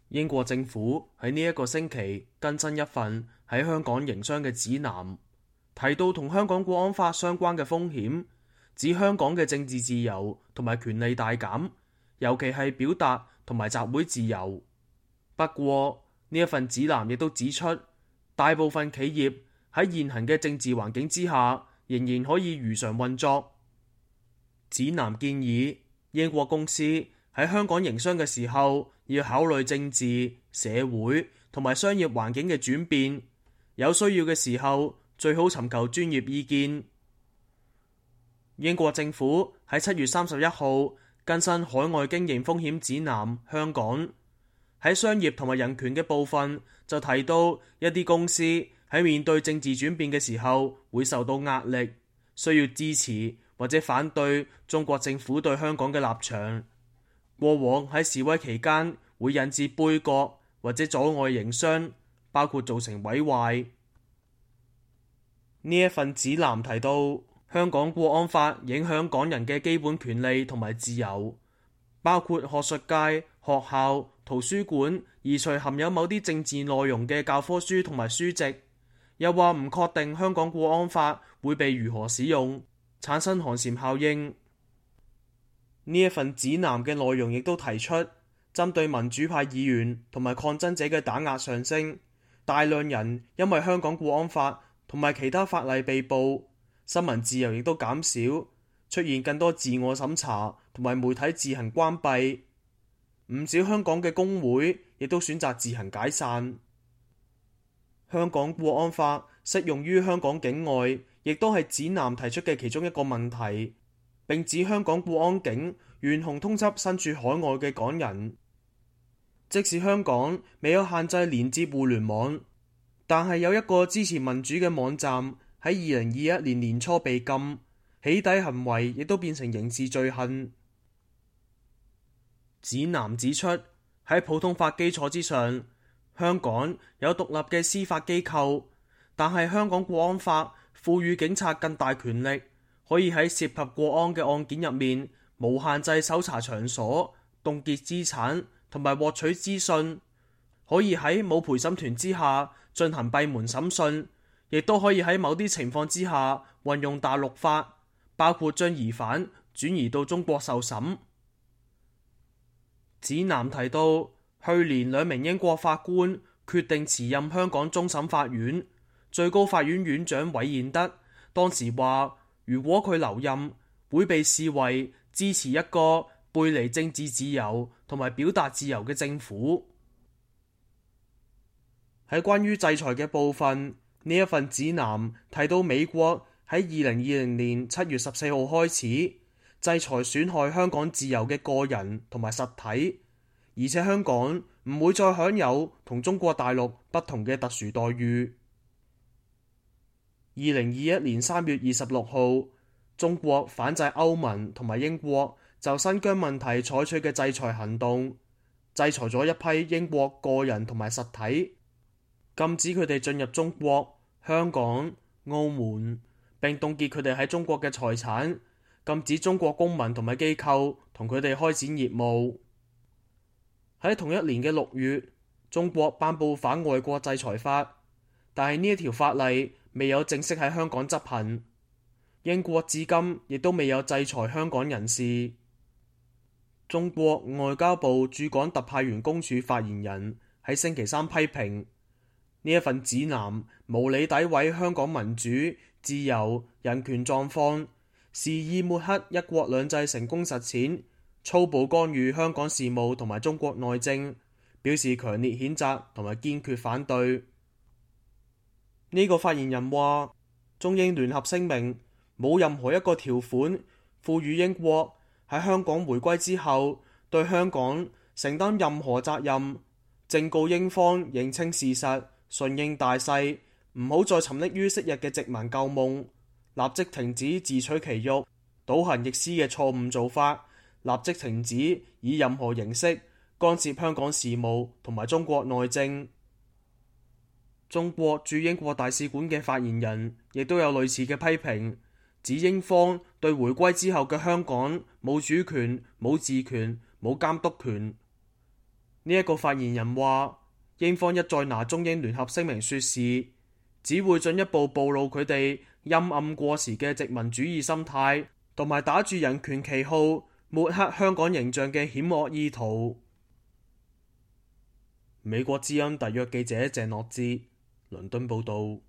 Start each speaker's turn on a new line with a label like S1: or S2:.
S1: 英國政府喺呢一個星期更新一份喺香港營商嘅指南，提到同香港國安法相關嘅風險，指香港嘅政治自由同埋權利大減，尤其係表達同埋集會自由。不過呢一份指南亦都指出，大部分企業喺現行嘅政治環境之下，仍然可以如常運作。指南建議英國公司喺香港營商嘅時候，要考慮政治、社會同埋商業環境嘅轉變，有需要嘅時候最好尋求專業意見。英國政府喺7月31號更新海外經營風險指南，香港喺商業同埋人權嘅部分就提到一啲公司喺面對政治轉變嘅時候會受到壓力，需要支持或者反對中國政府對香港嘅立場。過往喺示威期間會引致杯葛或者阻礙營商，包括造成毀壞。呢一份指南提到，香港國安法影響港人嘅基本權利同埋自由，包括學術界、學校、圖書館移除含有某啲政治內容嘅教科書同埋書籍。又話唔確定香港國安法會被如何使用，產生寒蟬效應。呢一份指南嘅內容亦都提出，針對民主派議員同埋抗爭者嘅打壓上升，大量人因為香港國安法同埋其他法例被捕，新聞自由亦都減少，出現更多自我審查同埋媒體自行關閉。唔少香港嘅工會亦都選擇自行解散。香港國安法適用於香港境外，亦都係指南提出嘅其中一個問題。並指香港國安警懸紅通緝身處海外嘅港人，即使香港未有限制連接互聯網，但係有一個支持民主嘅網站喺2021年年初被禁，起底行為亦都變成刑事罪行。指南指出，喺普通法基礎之上，香港有獨立嘅司法機構，但係香港國安法賦予警察更大權力，可以喺涉及國安嘅案件入面無限制搜查場所、凍結資產同埋獲取資訊，可以喺冇陪審團之下進行閉門審訊，亦都可以喺某啲情況之下運用大陸法，包括將疑犯轉移到中國受審。指南提到，去年2名英國法官決定辭任香港終審法院最高法院院長韋彥德，當時話，如果佢留任，會被視為支持一個背離政治自由同埋表達自由嘅政府。喺關於制裁嘅部分，呢一份指南提到美國喺2020年7月14號開始制裁損害香港自由嘅個人同埋實體，而且香港唔會再享有同中國大陸不同嘅特殊待遇。2021年3月26號，中國反制歐盟同埋英國就新疆問題採取嘅制裁行動，制裁咗一批英國個人同埋實體，禁止佢哋進入中國、香港、澳門，並凍結佢哋喺中國嘅財產，禁止中國公民同埋機構同佢哋開展業務。喺同一年嘅6月，中國頒布反外國制裁法，但係呢一條法例未有正式喺香港執行。英國至今亦都未有制裁香港人士。中國外交部駐港特派員公署發言人喺星期三批評呢一份指南無理詆毀香港民主、自由、人權狀況，肆意抹黑一國兩制成功實踐，粗暴干預香港事務同埋中國內政，表示強烈譴責同埋堅決反對。呢個發言人話，中英聯合聲明冇任何一個條款賦予英國喺香港回歸之後對香港承擔任何責任，正告英方認清事實，順應大勢，唔好再沉溺於昔日嘅殖民舊夢，立即停止自取其辱、倒行逆施嘅錯誤做法，立即停止以任何形式干涉香港事務同埋中國內政。中國駐英國大使館嘅發言人亦都有類似嘅批評，指英方對回歸之後嘅香港冇主權、冇治權、冇監督權。呢一個發言人話，英方一再拿中英聯合聲明說事，只會進一步暴露佢哋陰暗過時嘅殖民主義心態，同埋打住人權旗號抹黑香港形象嘅險惡意圖。美國之音特約記者鄭樂志倫敦報道。